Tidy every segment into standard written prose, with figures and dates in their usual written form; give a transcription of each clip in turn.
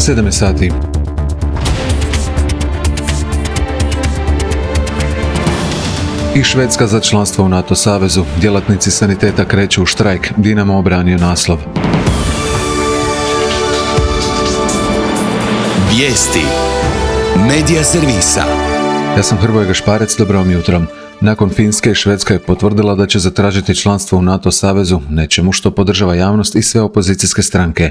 7 sati. I Švedska za članstvo u NATO savezu. Djelatnici saniteta kreću u štrajk. Dinamo obranio naslov. Vijesti. Medija servisa. Ja sam Hrvoje Gašparec, dobro vam jutro. Nakon Finske, Švedska je potvrdila da će zatražiti članstvo u NATO savezu, nečemu što podržava javnost i sve opozicijske stranke.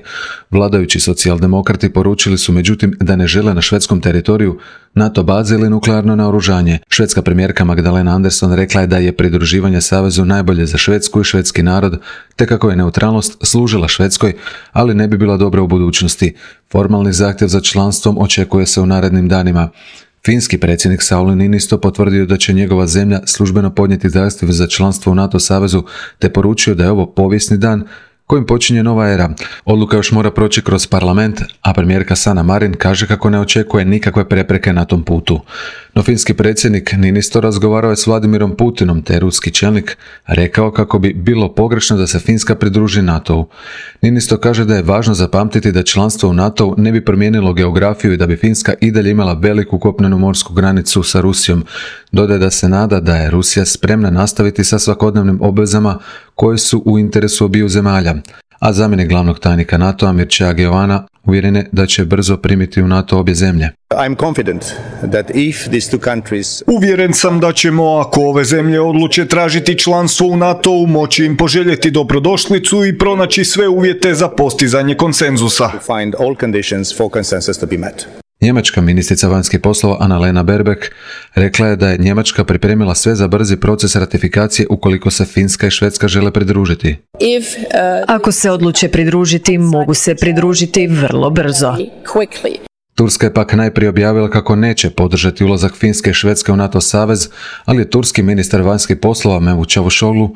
Vladajući socijaldemokrati poručili su međutim da ne žele na švedskom teritoriju NATO baze ili nuklearno naoružanje. Švedska premijerka Magdalena Andersson rekla je da je pridruživanje savezu najbolje za Švedsku i švedski narod, te kako je neutralnost služila Švedskoj, ali ne bi bila dobra u budućnosti. Formalni zahtjev za članstvom očekuje se u narednim danima. Finski predsjednik Sauli Niinisto potvrdio da će njegova zemlja službeno podnijeti zahtjev za članstvo u NATO savezu, te poručio da je ovo povijesni dan kojim počinje nova era. Odluka još mora proći kroz parlament, a premijerka Sanna Marin kaže kako ne očekuje nikakve prepreke na tom putu. No finski predsjednik Niinisto razgovarao je s Vladimirom Putinom, te ruski čelnik rekao kako bi bilo pogrešno da se Finska pridruži NATO-u. Niinisto kaže da je važno zapamtiti da članstvo u NATO-u ne bi promijenilo geografiju i da bi Finska i dalje imala veliku kopnenu morsku granicu sa Rusijom. Dodaje da se nada da je Rusija spremna nastaviti sa svakodnevnim obvezama koje su u interesu obiju zemalja. A zamjenik glavnog tajnika NATO-a Mircea Geovana uvjeren je da će brzo primiti u NATO obje zemlje. Uvjeren sam da ćemo, ako ove zemlje odluče tražiti članstvo u NATO-u, moći im poželjeti dobrodošlicu i pronaći sve uvjete za postizanje konsenzusa. Njemačka ministrica vanjskih poslova Annalena Baerbock rekla je da je Njemačka pripremila sve za brzi proces ratifikacije ukoliko se Finska i Švedska žele pridružiti. Ako se odluče pridružiti, mogu se pridružiti vrlo brzo. Turska je pak najprije objavila kako neće podržati ulazak Finske i Švedske u NATO savez, ali je turski ministar vanjskih poslova Mevlut Čavuşoğlu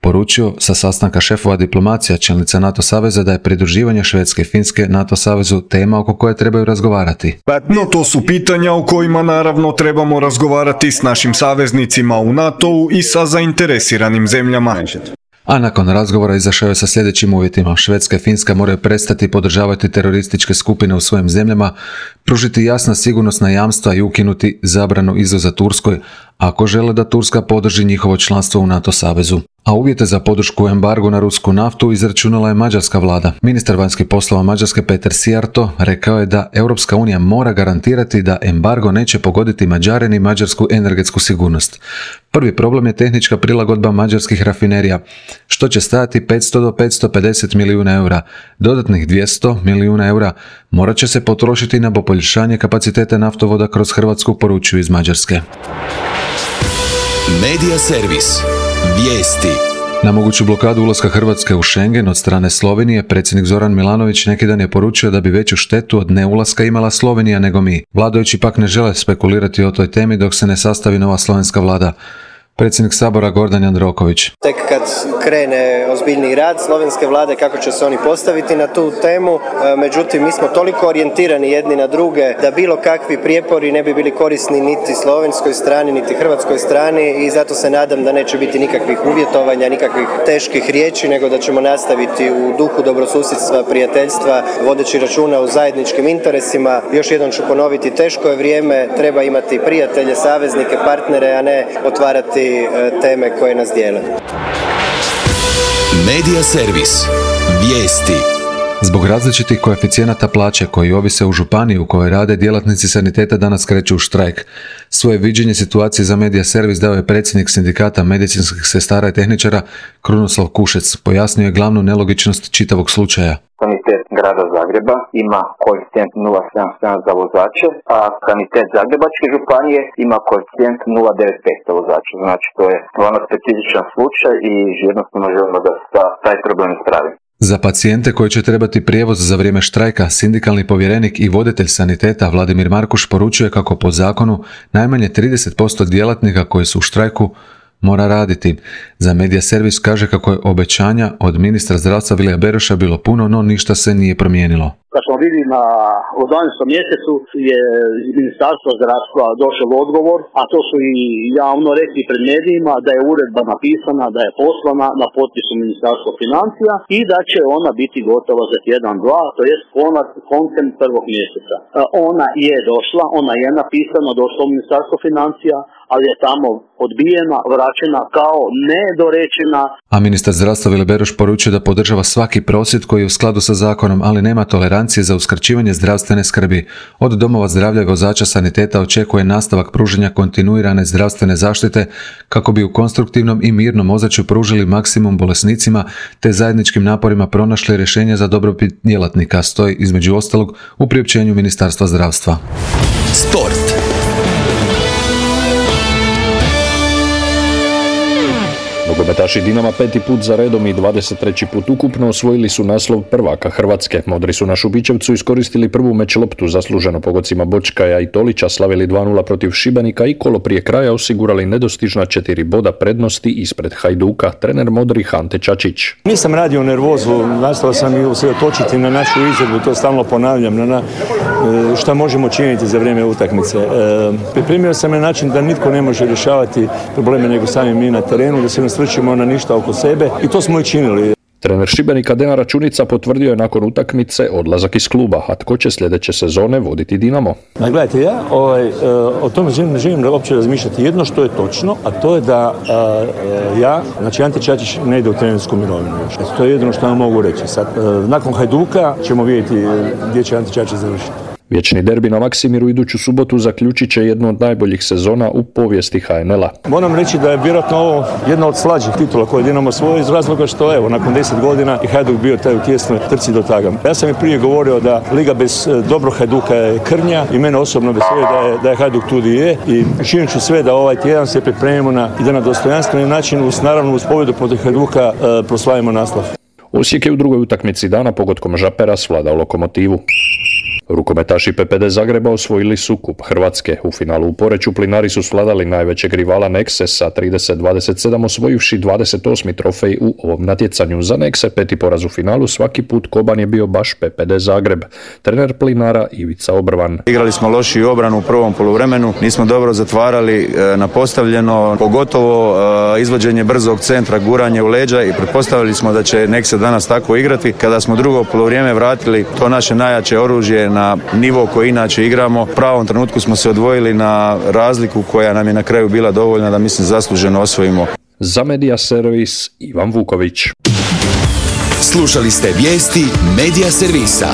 poručio sa sastanka šefova diplomacija čelnica NATO saveza da je pridruživanje Švedske i Finske NATO savezu tema oko koje trebaju razgovarati. No to su pitanja o kojima naravno trebamo razgovarati s našim saveznicima u NATO-u i sa zainteresiranim zemljama. A nakon razgovora izašao je sa sljedećim uvjetima. Švedska i Finska moraju prestati podržavati terorističke skupine u svojim zemljama, pružiti jasna sigurnosna jamstva i ukinuti zabranu izvoza Turskoj ako žele da Turska podrži njihovo članstvo u NATO savezu. A uvjete za podršku embargu na rusku naftu izračunala je mađarska vlada. Ministar vanjskih poslova Mađarske Peter Sijarto rekao je da Europska unija mora garantirati da embargo neće pogoditi Mađare ni mađarsku energetsku sigurnost. Prvi problem je tehnička prilagodba mađarskih rafinerija, što će stajati 500 do 550 milijuna eura. Dodatnih 200 milijuna eura morat će se potrošiti na poboljšanje kapaciteta naftovoda kroz Hrvatsku, poručuju iz Mađarske. Medija servis. Vijesti. Na moguću blokadu ulaska Hrvatske u Schengen od strane Slovenije, predsjednik Zoran Milanović neki dan je poručio da bi veću štetu od neulaska imala Slovenija nego mi. Vladajući pak ne žele spekulirati o toj temi dok se ne sastavi nova slovenska vlada. Predsjednik Sabora Gordan Jandroković. Tek kad krene ozbiljniji rad slovenske vlade, kako će se oni postaviti na tu temu, međutim mi smo toliko orijentirani jedni na druge da bilo kakvi prijepori ne bi bili korisni niti slovenskoj strani, niti hrvatskoj strani i zato se nadam da neće biti nikakvih uvjetovanja, nikakvih teških riječi, nego da ćemo nastaviti u duhu dobrosusjedstva, prijateljstva, vodeći računa o zajedničkim interesima. Još jednom ću ponoviti, teško je vrijeme, treba imati prijatelje, saveznike, partnere, a ne otvarati teme koje nas dijele. Medija servis. Vijesti. Zbog različitih koeficijenata plaće koji ovise u županiji u kojoj rade, djelatnici saniteta danas kreću u štrajk. Svoje viđenje situacije za Medija servis dao je predsjednik sindikata medicinskih sestara i tehničara Krunoslav Kušec. Pojasnio je glavnu nelogičnost čitavog slučaja. Sanitet grada Zagreba ima koeficijent 0,77 za vozače, a sanitet Zagrebačke županije ima koeficijent 0,95 za vozače. Znači to je stvarno specifičan slučaj i jednostavno želimo da se taj problem ispravi. Za pacijente koji će trebati prijevoz za vrijeme štrajka, sindikalni povjerenik i voditelj saniteta Vladimir Markuš poručuje kako po zakonu najmanje 30% djelatnika koji su u štrajku mora raditi. Za Medija servis kaže kako je obećanja od ministra zdravstva Vilija Beroša bilo puno, no ništa se nije promijenilo. Kad smo vidjeli u 12. mjesecu je iz Ministarstva zdravstva došao odgovor, a to su i javno rekli pred medijima, da je uredba napisana, da je poslana na potpisu Ministarstva financija i da će ona biti gotova za tjedan, dva, to jest koncem 1. mjeseca. Ona je došla, ona je napisana, došla u Ministarstvo financija, ali je tamo odbijena, vraćena kao nedorečena. A ministar zdravstva Vili Beroš poručuje da podržava svaki prosvjed koji je u skladu sa zakonom, ali nema tolerancije za uskraćivanje zdravstvene skrbi. Od domova zdravlja i vozača saniteta očekuje nastavak pružanja kontinuirane zdravstvene zaštite kako bi u konstruktivnom i mirnom ozračju pružili maksimum bolesnicima te zajedničkim naporima pronašli rješenje za dobrobit djelatnika, stoji između ostalog u priopćenju Ministarstva zdravstva. Sport. Nogometaši Dinama 5. put za redom i 23. put ukupno osvojili su naslov prvaka Hrvatske. Modri su na Šubićevcu iskoristili prvu meč loptu, zasluženo pogodcima Bočkaja i Tolića, slavili 2:0 protiv Šibenika i kolo prije kraja osigurali nedostižna 4 boda prednosti ispred Hajduka. Trener modrih Ante Čačić. Nisam radio nervozu, nastao sam i usredotočiti na našu izvedbu, to stalno ponavljam, na šta možemo činiti za vrijeme utakmice. Pripremio sam na način da nitko ne može rješavati probleme nego sami mi na terenu, da se ne strčimo na ništa oko sebe i to smo i činili. Trener Šibenika Dejan Računica potvrdio je nakon utakmice odlazak iz kluba, a tko će sljedeće sezone voditi Dinamo? Gledajte, ja o tome ne želim uopće razmišljati. Jedno što je točno, a to je da znači Ante Čačić ne ide u trenersku mirovinu još. To je jedno što vam mogu reći. Sad, nakon Hajduka ćemo vidjeti gdje će Ante Čačić završiti. Vječni derbi na Maksimiru iduću subotu zaključit će jednu od najboljih sezona u povijesti HNL-a. Moram reći da je vjerojatno ovo jedna od slađih titula koje Dinamo svoje iz razloga što evo nakon 10 godina i Hajduk bio taj u tjesnoj trci do taga. Ja sam i prije govorio da liga bez dobrog Hajduka je krnja i mene osobno veseli da je Hajduk tu gdje je i činit ću sve da ovaj tjedan se pripremimo i da na dostojanstveni način naravno uz pobjedu protiv Hajduka proslavimo naslov. Osijek je u drugoj utakmici dana pogodkom Žapera svladao Lokomotivu. Rukometaši PPD Zagreba osvojili su kup Hrvatske. U finalu u Poreču Plinari su svladali najvećeg rivala Nexe sa 30-27, osvojivši 28. trofej u ovom natjecanju. Za Nexe 5. poraz u finalu, svaki put koban je bio baš PPD Zagreb. Trener Plinara Ivica Obrvan. Igrali smo lošiju obranu u prvom poluvremenu, nismo dobro zatvarali na postavljeno, pogotovo izvođenje brzog centra, guranje u leđa i pretpostavili smo da će Nexe danas tako igrati. Kada smo drugo poluvrijeme vratili to naše najjače oružje na nivo koji inače igramo, u pravom trenutku smo se odvojili na razliku koja nam je na kraju bila dovoljna da mislim zasluženo osvojimo. Za Media Servis Ivan Vuković. Slušali ste vijesti Media Servisa.